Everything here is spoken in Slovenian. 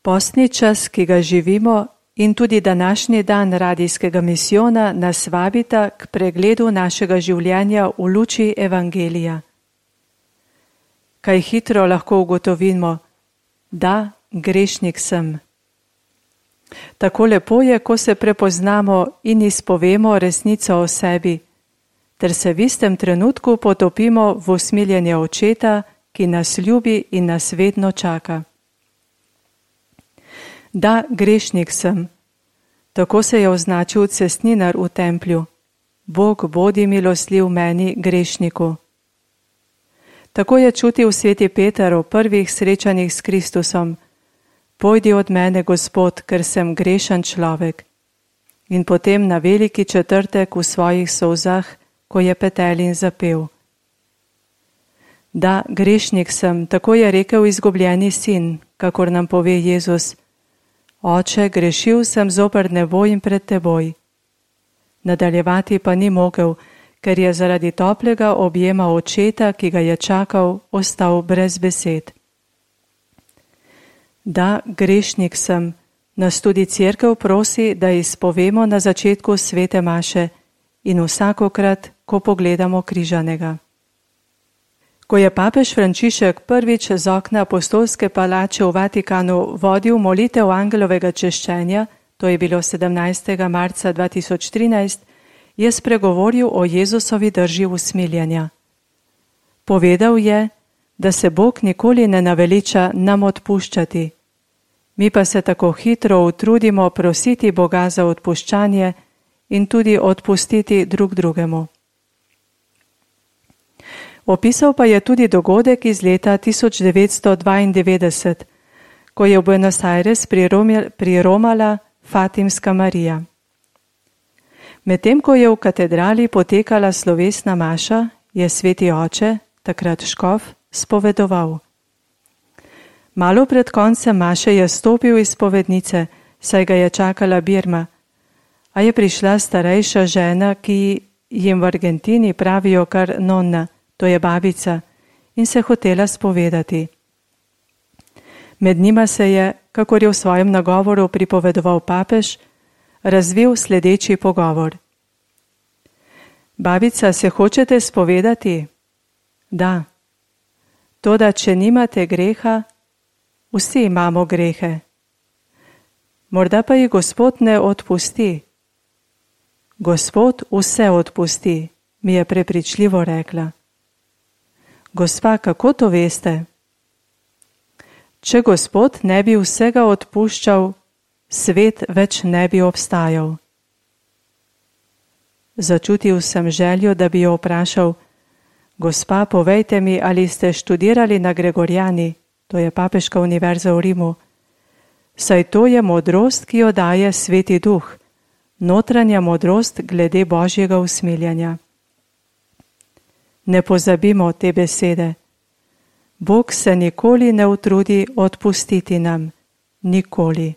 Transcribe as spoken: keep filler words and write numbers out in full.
Postni čas, ki ga živimo, in tudi današnji dan radijskega misijona nas vabita k pregledu našega življenja v luči Evangelija. Kaj hitro lahko ugotovimo, da grešnik sem. Tako lepo je, ko se prepoznamo in izpovemo resnico o sebi, ter se v istem trenutku potopimo v usmiljenje Očeta, ki nas ljubi in nas vedno čaka. Da, grešnik sem. Tako se je označil cestninar v templju. Bog, bodi milostljiv meni, grešniku. Tako je čutil sveti Peter v prvih srečanjih s Kristusom. Pojdi od mene, Gospod, ker sem grešen človek. In potem na veliki četrtek v svojih solzah, ko je petel in zapel. Da, grešnik sem, tako je rekel izgubljeni sin, kakor nam pove Jezus. Oče, grešil sem zoper nebo in pred teboj. Nadaljevati pa ni mogel, ker je zaradi toplega objema Očeta, ki ga je čakal, ostal brez besed. Da, grešnik sem, nas tudi Cerkev prosi, da izpovemo na začetku svete maše in vsakokrat, ko pogledamo križanega. Ko je papež Frančišek prvič z okna apostolske palače v Vatikanu vodil molitev angelovega češčenja, to je bilo sedemnajstega marca dva tisoč trinajst, je spregovoril o Jezusovi drži usmiljenja. Povedal je, da se Bog nikoli ne naveliča nam odpuščati. Mi pa se tako hitro utrudimo prositi Boga za odpuščanje in tudi odpustiti drug drugemu. Opisal pa je tudi dogodek iz leta tisoč devetsto dvaindevetdeset, ko je v Buenos Aires priromala Fatimska Marija. Medtem, ko je v katedrali potekala slovesna maša, je sveti oče, takrat škof, spovedoval. Malo pred koncem maše je stopil iz spovednice, saj ga je čakala Birma, a je prišla starejša žena, ki jim v Argentini pravijo kar nonna, to je babica, in se hotela spovedati. Med njima se je, kakor je v svojem nagovoru pripovedoval papež, razvil sledeči pogovor. Babica, se hočete spovedati? Da. Toda, če nimate greha, vsi imamo grehe. Morda pa jih Gospod ne odpusti. Gospod vse odpusti, mi je prepričljivo rekla. Gospa, kako to veste? Če Gospod ne bi vsega odpuščal, svet več ne bi obstajal. Začutil sem željo, da bi jo vprašal, gospa, povejte mi, ali ste študirali na Gregoriani, to je Papeška univerza v Rimu, saj to je modrost, ki jo daje Sveti Duh, notranja modrost glede Božjega usmiljanja. Ne pozabimo te besede. Bog se nikoli ne utrudi odpustiti nam, nikoli.